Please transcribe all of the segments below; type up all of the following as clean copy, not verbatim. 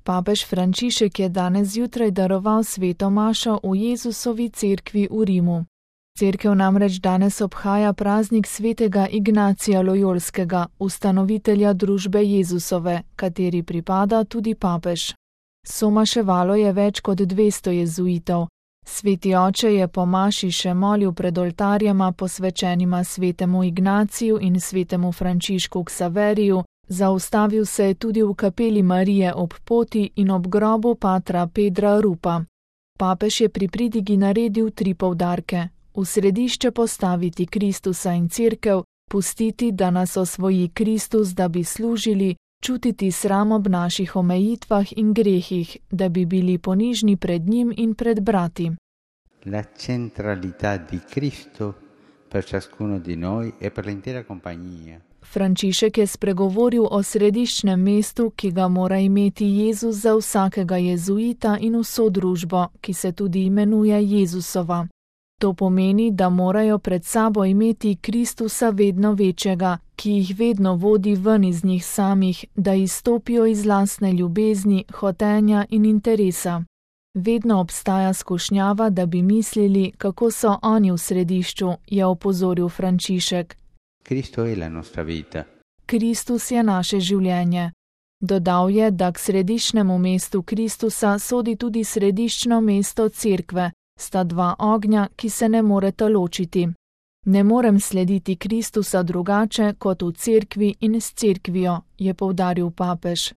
Papež Frančišek je danes zjutraj daroval sveto mašo v Jezusovi cerkvi v Rimu. Cerkev namreč danes obhaja praznik svetega Ignacija Lojolskega, ustanovitelja družbe Jezusove, kateri pripada tudi papež. Somaševalo je več kot 200 jezuitov. Sveti oče je po maši še molil pred oltarjema posvečenima svetemu Ignaciju in svetemu Frančišku Ksaveriju, zaustavil se je tudi v kapeli Marije ob poti in ob grobu patra Pedra Rupa. Papež je pri pridigi naredil 3 poudarke: v središče postaviti Kristusa in cerkev, pustiti, da nas osvoji Kristus, da bi služili, čutiti sram ob naših omejitvah in grehih, da bi bili ponižni pred njim in pred brati. La centralità di Cristo per ciascuno di noi e per l'intera compagnia. Frančišek je spregovoril o središčnem mestu, ki ga mora imeti Jezus za vsakega jezuita in vso družbo, ki se tudi imenuje Jezusova. To pomeni, da morajo pred sabo imeti Kristusa vedno večjega, ki jih vedno vodi ven iz njih samih, da izstopijo iz lastne ljubezni, hotenja in interesa. Vedno obstaja skušnjava, da bi mislili, kako so oni v središču, je opozoril Frančišek. Cristo è la nostra vita. Kristus je naše življenje. Dodal je, da k središčnemu mestu Kristusa sodi tudi središčno mesto cerkve, sta 2 ognja, ki se ne moreta ločiti. Ne morem slediti Kristusa drugače kot v cerkvi in s cerkvijo, je poudaril papež.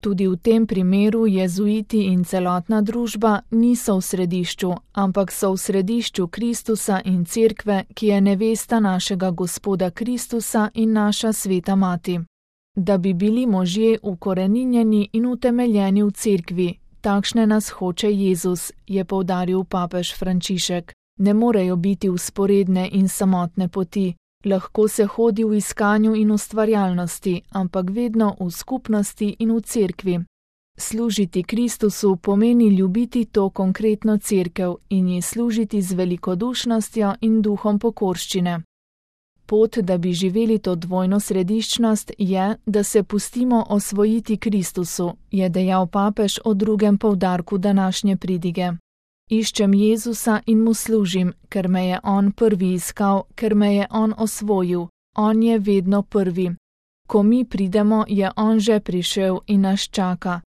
Tudi v tem primeru jezuiti in celotna družba niso v središču, ampak so v središču Kristusa in cerkve, ki je nevesta našega Gospoda Kristusa in naša sveta mati. Da bi bili možje ukoreninjeni in utemeljeni v cerkvi, takšne nas hoče Jezus, je poudaril papež Frančišek. Ne morejo biti vzporedne in samotne poti. Lahko se hodi v iskanju in ustvarjalnosti, ampak vedno v skupnosti in v cerkvi. Služiti Kristusu pomeni ljubiti to konkretno cerkev in ji služiti z velikodušnostjo in duhom pokorščine. Pot, da bi živeli to dvojno središčnost, je, da se pustimo osvojiti Kristusu, je dejal papež o 2. poudarku današnje pridige. Iščem Jezusa in mu služim, ker me je on prvi iskal, ker me je on osvojil. On je vedno prvi. Ko mi pridemo, je on že prišel in nas čaka.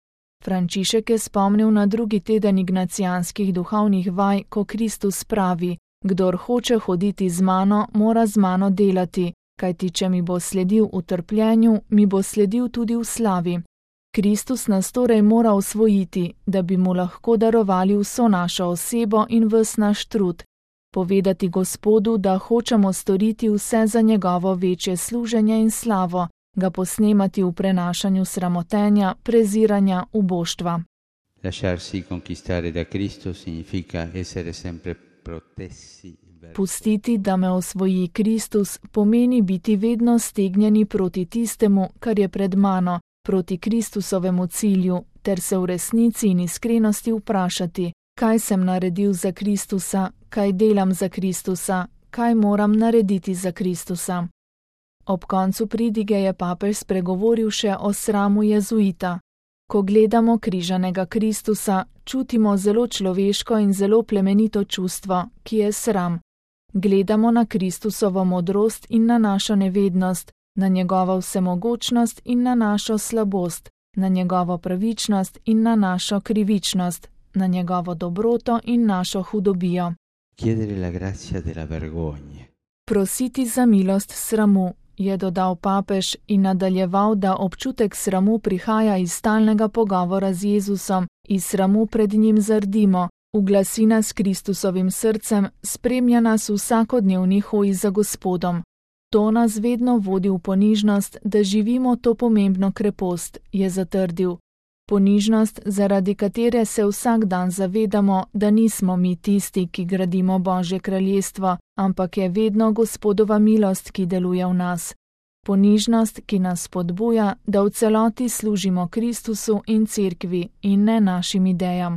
Frančišek je spomnil na 2. teden ignacijanskih duhovnih vaj, ko Kristus pravi: kdor hoče hoditi z mano, mora z mano delati, kajti če mi bo sledil v trpljenju, mi bo sledil tudi v slavi. Kristus nas torej mora osvojiti, da bi mu lahko darovali vso našo osebo in ves naš trud. Povedati Gospodu, da hočemo storiti vse za njegovo večje služenje in slavo, ga posnemati v prenašanju sramotenja, preziranja, uboštva. Lasciarsi conquistare da Cristo significa essere sempre protessi. Pustiti, da me osvoji Kristus, pomeni biti vedno stegnjeni proti tistemu, kar je pred mano, proti Kristusovemu cilju, ter se v resnici in iskrenosti vprašati, kaj sem naredil za Kristusa, kaj delam za Kristusa, kaj moram narediti za Kristusa. Ob koncu pridige je papež spregovoril še o sramu jezuita. Ko gledamo križanega Kristusa, čutimo zelo človeško in zelo plemenito čustvo, ki je sram. Gledamo na Kristusovo modrost in na našo nevednost, na njegovo vsemogočnost in na našo slabost, na njegovo pravičnost in na našo krivičnost, na njegovo dobroto in našo hudobijo. Prositi za milost sramu, je dodal papež in nadaljeval, da občutek sramu prihaja iz stalnega pogovora z Jezusom, iz sramu pred njim zardimo, uglasi nas Kristusovim srcem, spremlja nas v vsakodnevni hoji za Gospodom. To nas vedno vodi v ponižnost, da živimo to pomembno krepost, je zatrdil. Ponižnost, zaradi katere se vsak dan zavedamo, da nismo mi tisti, ki gradimo Božje kraljestvo, ampak je vedno Gospodova milost, ki deluje v nas. Ponižnost, ki nas spodbuja, da v celoti služimo Kristusu in cerkvi in ne našim idejam.